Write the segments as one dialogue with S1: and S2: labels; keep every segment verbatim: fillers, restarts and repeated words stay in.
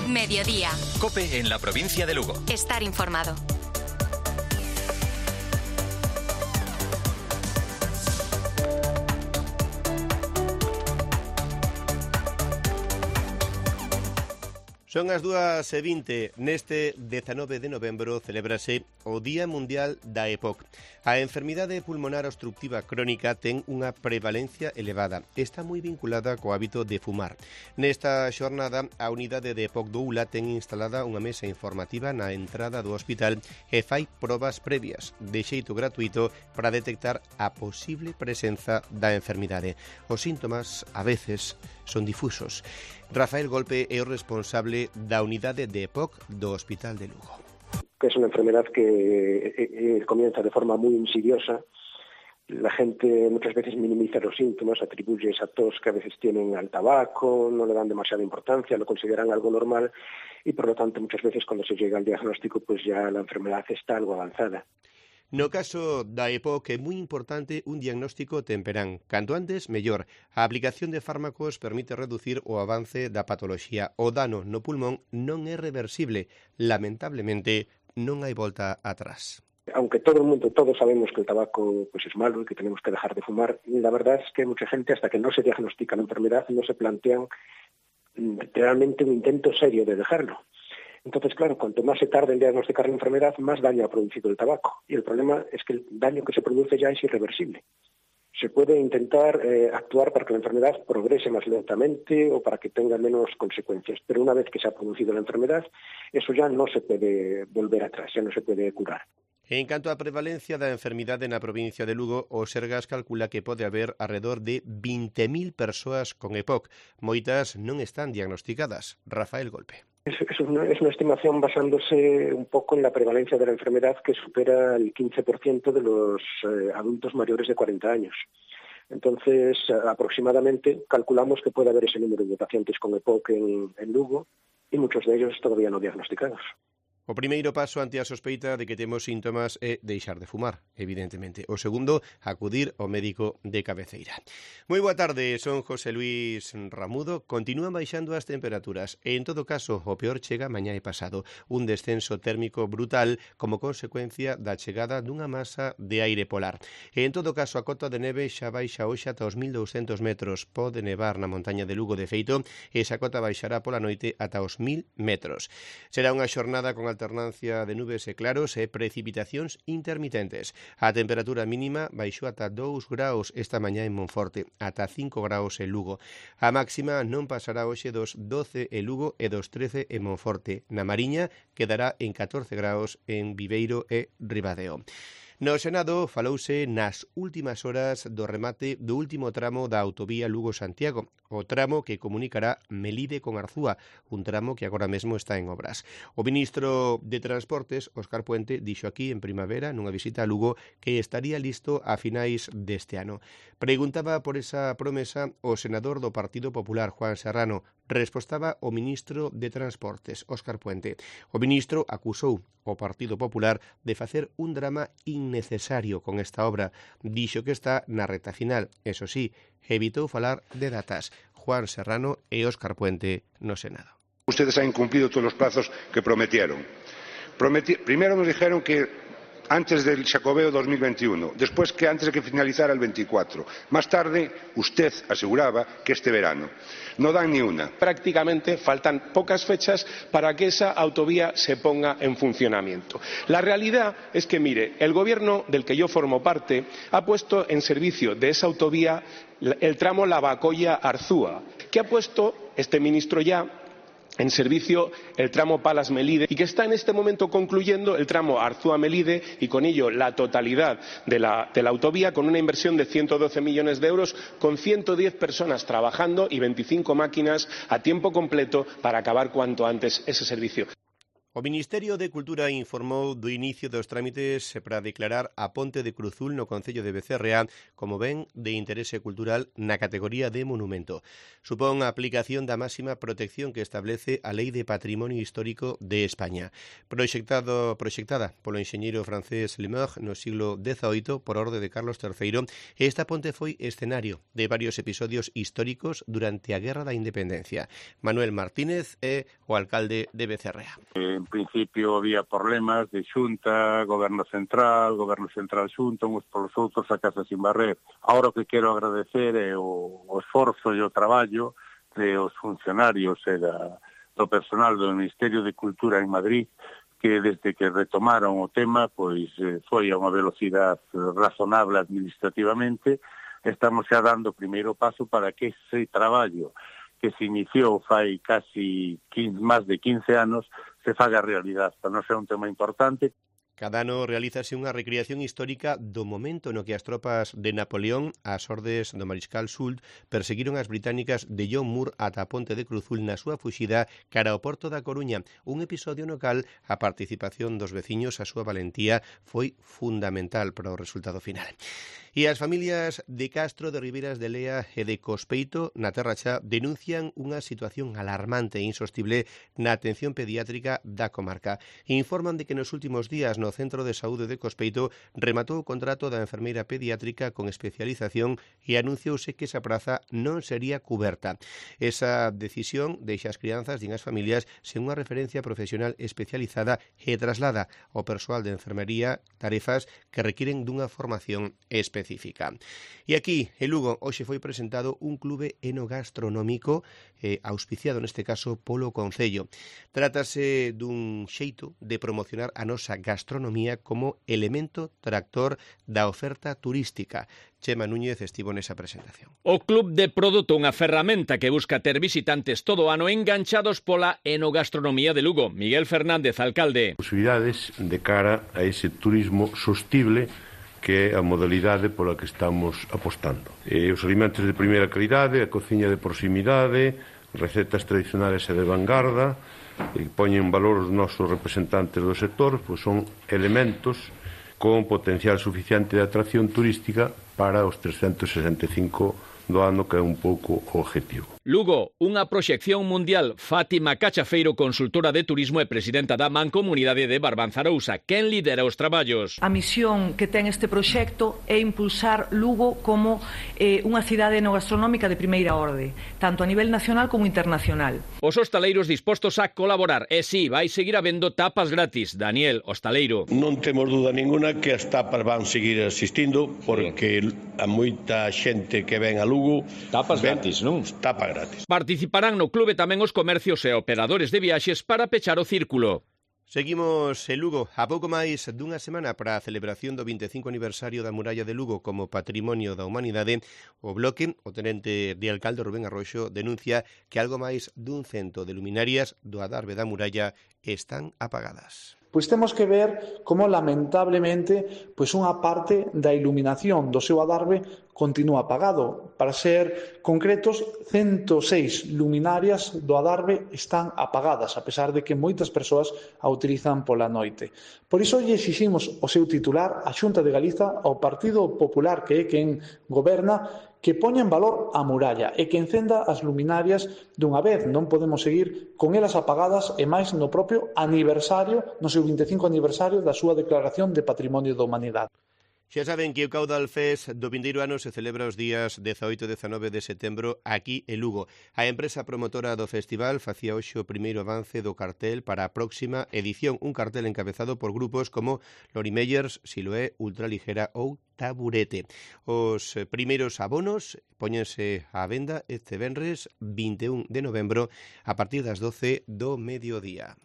S1: Mediodía.
S2: COPE en la provincia de Lugo.
S1: Estar informado.
S3: Son as dúas e vinte. Neste dezanove de novembro celebrase o Día Mundial da E P O C. A enfermidade pulmonar obstructiva crónica ten unha prevalencia elevada. Está moi vinculada co hábito de fumar. Nesta xornada, a unidade de E P O C do U L A ten instalada unha mesa informativa na entrada do hospital e fai probas previas de xeito gratuito para detectar a posible presenza da enfermidade. Os síntomas, a veces, son difusos. Rafael Golpe é o responsable da unidade de E P O C do Hospital de Lugo.
S4: Que es una enfermedad que eh, eh, comienza de forma muy insidiosa. La gente muchas veces minimiza los síntomas, atribuye esa tos que a veces tienen al tabaco, no le dan demasiada importancia, lo consideran algo normal y por lo tanto muchas veces cuando se llega al diagnóstico pues ya la enfermedad está algo avanzada.
S3: No caso da E P O C é moi importante un diagnóstico temperán. Canto antes, mellor. A aplicación de fármacos permite reducir o avance da patoloxía. O dano no pulmón non é reversible. Lamentablemente, non hai volta atrás.
S4: Aunque todo el mundo, todos sabemos que el tabaco pues es malo y que tenemos que dejar de fumar, la verdad es que mucha gente hasta que no se diagnostica la enfermedad no se plantean realmente un intento serio de dejarlo. Entonces, claro, cuanto más se tarde en diagnosticar la enfermedad, más daño ha producido el tabaco. Y el problema es que el daño que se produce ya es irreversible. Se puede intentar eh, actuar para que la enfermedad progrese más lentamente o para que tenga menos consecuencias. Pero una vez que se ha producido la enfermedad, eso ya no se puede volver atrás, ya no se puede curar.
S3: En canto á prevalencia da enfermidade na provincia de Lugo, o Sergas calcula que pode haber alrededor de vinte mil persoas con E P O C. Moitas non están diagnosticadas. Rafael Golpe.
S4: Es, es, una, es una estimación basándose un poco en la prevalencia de la enfermedad que supera el quince por ciento de los eh, adultos mayores de cuarenta años. Entonces, aproximadamente calculamos que puede haber ese número de pacientes con E P O C en, en Lugo y muchos de ellos todavía no diagnosticados.
S3: O primeiro paso ante a sospeita de que temos síntomas é deixar de fumar, evidentemente. O segundo, acudir ao médico de cabeceira. Moi boa tarde, son José Luis Ramudo. Continúan baixando as temperaturas e, en todo caso, o peor chega mañá e pasado. Un descenso térmico brutal como consecuencia da chegada dunha masa de aire polar. E, en todo caso, a cota de neve xa baixa hoxe ata os mil douscentos metros. Pode nevar na montaña de Lugo de feito e esa cota baixará pola noite ata os mil metros. Será unha xornada con alternancia de nubes e claros e precipitacións intermitentes. A temperatura mínima baixou ata dous graus esta mañá en Monforte, ata cinco graus en Lugo. A máxima non pasará hoxe dos doce en Lugo e dos trece en Monforte. Na Mariña quedará en catorce graus en Viveiro e Ribadeo. No Senado falouse nas últimas horas do remate do último tramo da autovía Lugo-Santiago, o tramo que comunicará Melide con Arzúa, un tramo que agora mesmo está en obras. O ministro de Transportes, Óscar Puente, dixo aquí en primavera, nunha visita a Lugo, que estaría listo a finais deste ano. Preguntaba por esa promesa o senador do Partido Popular, Juan Serrano. Respostaba o ministro de Transportes, Óscar Puente. O ministro acusou o Partido Popular de facer un drama innecesario con esta obra. Dixo que está na reta final. Eso sí, evitou falar de datas. Juan Serrano e Óscar Puente no Senado.
S5: Ustedes han incumplido todos los plazos que prometieron. Prometi- Primero nos dijeron que antes del Xacobeo dos mil veintiuno, después que antes de que finalizara el veinticuatro. Más tarde, usted aseguraba que este verano. No dan ni una.
S6: Prácticamente faltan pocas fechas para que esa autovía se ponga en funcionamiento. La realidad es que, mire, el gobierno del que yo formo parte ha puesto en servicio de esa autovía el tramo Lavacolla-Arzúa, que ha puesto este ministro ya en servicio el tramo Palas-Melide y que está en este momento concluyendo el tramo Arzúa-Melide y con ello la totalidad de la, de la autovía con una inversión de ciento doce millones de euros con ciento diez personas trabajando y veinticinco máquinas a tiempo completo para acabar cuanto antes ese servicio.
S3: O Ministerio de Cultura informou do inicio dos trámites para declarar a Ponte de Cruzul no concello de Becerreá como ben de interese cultural na categoría de monumento. Supón a aplicación da máxima protección que establece a Lei de Patrimonio Histórico de España. Proxectado, proxectada polo enxeñeiro francés Lemeur no siglo dezaoito por orde de Carlos terceiro, esta ponte foi escenario de varios episodios históricos durante a Guerra da Independencia. Manuel Martínez é o alcalde de Becerreá.
S1: En principio había problemas de xunta, goberno central, goberno central xunta, uns polos outros a casa sin barrer. Ahora o que quero agradecer é o, o esforzo e o traballo de os funcionarios e da, do personal do Ministerio de Cultura en Madrid, que desde que retomaron o tema, pois eh, foi a unha velocidade razonable administrativamente. Estamos xa dando o primeiro paso para que ese traballo que se iniciou fai casi quince, máis de quince anos, se faga realidade. Para non ser un tema importante.
S3: Cada ano realízase unha recreación histórica do momento no que as tropas de Napoleón, ás ordes do Mariscal Soult, perseguiron as británicas de John Moore ata a Ponte de Cruzul na súa fuxida cara ao Porto da Coruña. Un episodio no cal a participación dos veciños, a súa valentía, foi fundamental para o resultado final. E as familias de Castro, de Ribeiras de Lea e de Cospeito, na Terra Xa, denuncian unha situación alarmante e insostible na atención pediátrica da comarca. Informan de que nos últimos días no Centro de Saúde de Cospeito rematou o contrato da enfermeira pediátrica con especialización e anunciouse que esa praza non sería cuberta. Esa decisión deixa as crianzas, din as familias, sen unha referencia profesional especializada e traslada ao persoal de enfermería tarefas que requiren dunha formación específica. E aquí, en Lugo, hoxe foi presentado un clube enogastronómico eh, auspiciado neste caso polo Concello. Trátase dun xeito de promocionar a nosa gastronomía como elemento tractor da oferta turística. Chema Núñez estivo nesa presentación.
S7: O Club de Produto, unha ferramenta que busca ter visitantes todo o ano enganchados pola enogastronomía de Lugo. Miguel Fernández, alcalde.
S8: Posibilidades de cara a ese turismo sostible que é a modalidade pola que estamos apostando. E os alimentos de primeira calidade, a cociña de proximidade, recetas tradicionales e de vanguarda, que poñen en valor os nosos representantes do sector, pois son elementos con potencial suficiente de atracción turística para os trescentos sesenta e cinco do ano, que é un pouco o objetivo.
S7: Lugo, unha proxección mundial. Fátima Cachafeiro, consultora de turismo e presidenta da Mancomunidade de Barbanzarousa, quen lidera os traballos.
S9: A misión que ten este proxecto é impulsar Lugo como eh, unha cidade enogastronómica de primeira orde, tanto a nivel nacional como internacional.
S7: Os hostaleiros dispostos a colaborar. E si, vai seguir habendo tapas gratis. Daniel, hostaleiro.
S10: Non temos duda ninguna que as tapas van seguir asistindo, porque a moita xente que ven a Lugo...
S7: Tapas ven, gratis, non?
S10: Tapas gratis.
S7: Participarán no clube tamén os comercios e operadores de viaxes para pechar o círculo.
S3: Seguimos en Lugo. A pouco máis dunha semana para a celebración do vinte e cinco aniversario da Muralla de Lugo como Patrimonio da Humanidade, o Bloque, o tenente de alcalde Rubén Arroxo, denuncia que algo máis dun cento de luminarias do adarve da muralla están apagadas.
S11: Pois temos que ver como lamentablemente pois unha parte da iluminación do seu adarve continúa apagado. Para ser concretos, ciento seis luminarias do adarve están apagadas, a pesar de que moitas persoas a utilizan pola noite. Por iso lle exiximos o seu titular, a Xunta de Galiza, ao Partido Popular, que é quen goberna, que poña en valor a muralla e que encenda as luminarias dunha vez. Non podemos seguir con elas apagadas e máis no propio aniversario, no seu vinte e cinco aniversario da súa declaración de Patrimonio da Humanidade.
S3: Xa saben que o Caudal Fest do vindeiro ano se celebra os días dezaoito e dezanove de setembro aquí en Lugo. A empresa promotora do festival facía hoxe o primeiro avance do cartel para a próxima edición, un cartel encabezado por grupos como Lori Meyers, Siloé, Ultraligera ou Taburete. Os primeiros abonos póñense á venda este venres vinte e un de novembro a partir das doce do mediodía.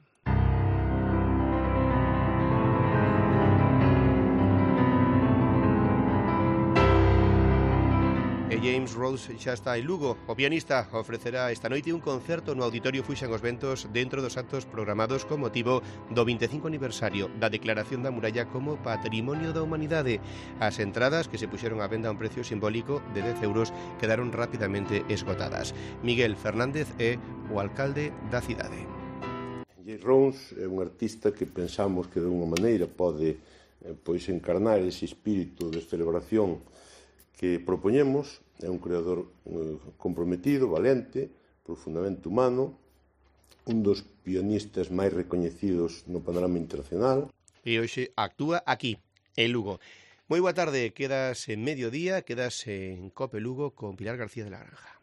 S3: E James Rhodes xa está en Lugo. O pianista ofrecerá esta noite un concerto no Auditorio Fuxan os Ventos dentro dos actos programados con motivo do vinte e cinco aniversario da Declaración da Muralla como Patrimonio da Humanidade. As entradas, que se puxeron á venda a un precio simbólico de dez euros, quedaron rapidamente esgotadas. Miguel Fernández é o alcalde da cidade.
S8: Jay Rons é un artista que pensamos que de unha maneira pode eh, pois encarnar ese espírito de celebración que propoñemos. É un creador eh, comprometido, valente, profundamente humano, un dos pianistas máis recoñecidos no panorama internacional.
S3: E hoxe actúa aquí, en Lugo. Moi boa tarde, quedas en mediodía, quedas en Cope Lugo con Pilar García de la Granja.